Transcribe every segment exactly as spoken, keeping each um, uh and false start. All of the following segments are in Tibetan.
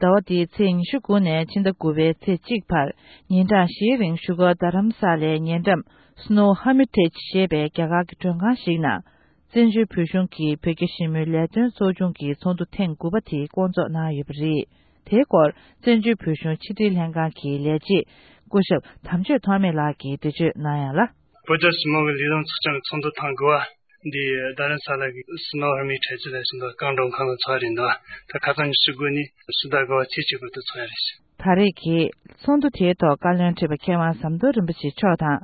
ཟླ་བ་འདིའི་ཚེས་ཉི་ཤུ་དགུ་ནས་ཕྱི་ཟླ་དགུ་པའི་ཚེས་གཅིག་བར་ཉིན་གྲངས་བཞིའི་རིང་བཞུགས་སྒར་རྡ་རམ་ས་ལའི་ཉེ་འགྲམ་Snow Hermitage ཞེས་པའི་རྒྱ་གར་གྱི་མགྲོན་ཁང་ཞིག་ནང་བཙན་བྱོལ་བོད་གཞུང་གི་བོད་རྒྱ་ཞི་མོལ་ལས་དོན་ཚོགས་ཆུང་གི་ཚོགས་འདུ་ཐེངས་དགུ་པ་དེ་བསྐོང་ཚོགས་གནང་ཡོད་པ་རེད། དེའི་སྐོར་བཙན་བྱོལ་བོད་གཞུང་ཕྱི་དྲིལ་ལྷན་ཁང་གི་ལས་བྱེད་སྐུ་ཞབས་དམ་ཆོས་ཐོགས་མེད་ལགས་ཀྱིས་འགྲེལ་བརྗོད་གནང་ཡག་ལ། བོད་རྒྱ་ཞི་མོལ་གྱི་ལས་དོན་ཚོགས་ཆུང་གི་ཚོགས་འདུ་ཐེངས་དགུ་པ་འདི་རྡ་རམ་ས་ལ་གི་Snow Hermitage ལ་ཞིག་འདུག་རྒྱ་གར་མགྲོན་ཁང་ལ་ཚོགས་རེད་འདུག་ད་ཁ་སང་ཉི་ཤུ་དགུ་ནས་ཕྱི་ཟླ་དགུ་པ་ཚེས་གཅིག་བར་དུ་ཚོགས་ཡག་རེད། ད་རེས་ཀྱི་ཚོགས་འདུ་དེའི་ཐོག་བཀའ་བློན་ཁྲི་པ་མཁས་དབང་ཟམ་གདོང་རིན་པོ་ཆེ་མཆོག་དང་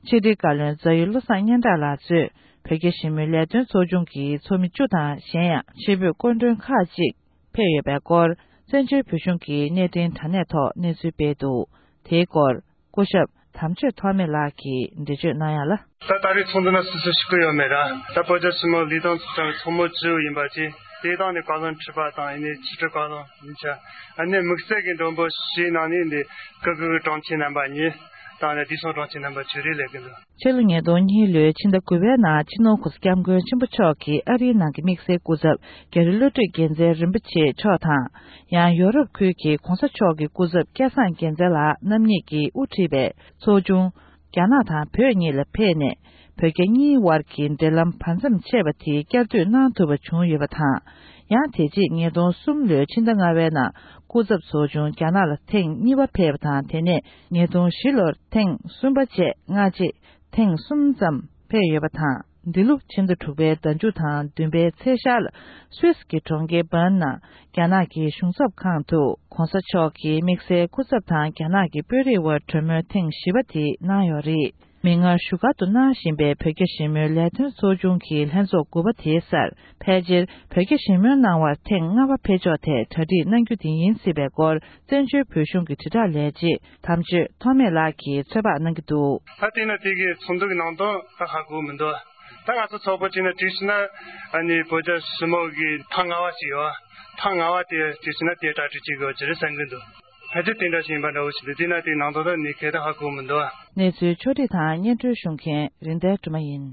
ཕྱི་དྲིལ་བཀའ་བློན་རྫ་ཡུལ་བློ་བཟང་སྙན་གྲགས་ལགས་གཙོས་བོད་རྒྱ་ཞི་མོལ་ལས་དོན་ཚོགས་ཆུང་གི་ཚོགས་མི་བཅུ་དང་གཞན་ཡང་ཕྱི་བོད་སྐུ་མགྲོན་ཁག་ཅིག་ཕེབས་ཡོད་པའི་སྐོར་བཙན་བྱོལ་བོད་གཞུང་གི་གནས་འཕྲིན་དྲ་གནས་ཐོག་གནས་ཚུལ་སྤེལ་འདུག་དེའི་སྐོར་སྐུ་ཞབས་དམ་ཆོས་ཐོགས་མེད་ལགས་ཀྱིས་འགྲེལ་བརྗོད་གནང་ཡག་ལ། ད་ད་རེས་ཚོགས་འདུ་ནང་སུ་སུ་ཞུགས་ཀྱི་ཡོད་མེད་ར། ད་བོད་རྒྱ་ཞི་མོལ་ལས་དོན་ཚོགས་ཆུང་གི་ཚོགས་མི་བཅུ་ཡིན་པ་བཅས་དེ་དང་ནས་བཀའ་བློན་ཁྲི་པ་དང་ཡིན་ནའི་ཕྱི་དྲིལ་བཀའ་བློན་ཡིན་ཆ་ཨ་ནི་དམིགས་བསལ་གྱི་མགྲོན་པོ་ཞིག་ནང་ནས་འདི་སྐུ་སྒེར་གྱི་དྲུང་ཆེ་རྣམ་པ་གཉིས་དང་ནས་བདེ་སྲུང་དྲུང་ཆེ་རྣམ་པ་བཅས་རེ་སླེབས་ཀྱི་འདུག་ཕྱི་ལོ་ཉིས་སྟོང་གཉིས་ལོའི་ཕྱི་ཟླ་དགུ་པའི་ནང་སྤྱི་ནོར་གོང་ས་སྐྱབས་མགོན་ཆེན་པོ་མཆོག་གིས་ཨ་རིའི་ནང་གི་དམིགས་བསལ་སྐུ་ཚབ་རྒྱ་རི་བློ་གྲོས་རྒྱལ་མཚན་རིན་པོ་ཆེ་མཆོག་དང་། ཡང་ཡོ་རོབ་ཁུལ་གྱི་གོང་ས་མཆོག་གི་སྐུ་ཚབ་སྐལ་བཟང་རྒྱལ་མཚན་ལགས་རྣམ་གཉིས་ཀྱིས་དབུ་ཁྲིད་པའི་ཚོགས་ཆུང་རྒྱ་ནག་དང་བོད་གཉིས་ལ་ཕེབས་ནས་བོད་རྒྱ་གཉིས་དབར་གྱི་འབྲེལ་ལམ་བར་མཚམས་ཆད་པ་དེ་བསྐྱར་མཐུད་གནང་ཐུབ་པ་བྱུང་ཡོད་པ་དང་། ཡང་དེ་རྗེས་ཉིས་སྟོང་གསུམ་ལོའི་ཕྱི་ཟླ་ལྔ་པའི་ནང་སྐུ་ཚབ་ཚོགས་ཆུང་རྒྱ་ནག་ལ་ཐེངས་གཉིས་པ་ཕེབས་པ་དང་། དེ་ནས་ཉིས་སྟོང་བཞི་ལོར་ཐེངས་གསུམ་པ་བཅས་སྔ་རྗེས་ཐེངས་གསུམ་ཙམ་ཕེབས་ཡོད་པ་དང་། འདི་ལོ་ཕྱི་ཟླ་དྲུག་པའི་ཟླ་མཇུག་དང་བདུན་པའི་ཚེས་ཤར་ལ་སུད་སི་གི་གྲོང་ཁྱེར་བྷརན་ནང་རྒྱ་ནག་གི་གཞུང་ཚབ་ཁང་དུ་གོང་ས་མཆོག་གིས་དམིགས་བསལ་སྐུ་ཚབ་དང་རྒྱ་ནག་གི་དཔོན་རིགས་དབར་གྲོས་མོལ་ཐེངས་བཞི་པ་དེ་གནང་ཡོད་རེད། མིག་སྔར་བཞུགས་སྒར་དུ་གནང་བཞིན་པའི་བོད་རྒྱ་ཞི་མོལ་ལས་དོན་ཚོགས་ཆུང་གི་ལྷན་ཚོགས་དགུ་པ་དེའི་སར་ཕལ་ཆེར་བོད་རྒྱ་ཞི་མོལ་གནང་བར་ཐེངས་ལྔ་པ་ཕེབས་ཕྱོགས་ཐད་གྲ་སྒྲིག་གནང་རྒྱུ་དེ་ཡིན་སྲིད་པའི་སྐོར་བཙན་བྱོལ་བོད་གཞུང་གི་དྲིལ་བསྒྲགས་ལས་བྱེད་དམ་ཆོས་ཐོགས་མེད་ལགས་ཀྱིས་ཚོད་དཔག་གནང་གི་འདུག་ད་དེ་ན་དེ་གའི་ཚོགས་འདུ་གི་ནང་དོན་ད་ཧ་གོ་མི་འདུག་ད་ང་ཚོ་ཚོགས་པ་གཅིག་ན་བྲིས་ཤིག་ན་ཨ་ནི་བོད་རྒྱ་ཞི་མོལ་གི་ཐེངས་ལྔ་པ་ཞིག་ཡོད། ཐེངས་ལྔ་པ་དེ་བྲིས་ཤིག་ན་དེ་གྲ་སྒྲིག་བྱེད་དགོས་ཀྱི་རེད་བསམ་གི་འདུག་ཕལ་ཆེར་དེ་འདྲ་ཞིག་ཡིན་པ་འདྲ་བོ་ཞིག་འདུག་དེ་ན་དེའི་ནང་དོན་ད་ནི་གལ་ཏེ་ཧ་གོ་མི་འདུག་གནས་ཚུལ་ཕྱོགས་སྒྲིག་དང་སྙན་སྒྲོན་ཞུ་མཁན་རིན་ལྡན་སྒྲོལ་མ་ཡིན།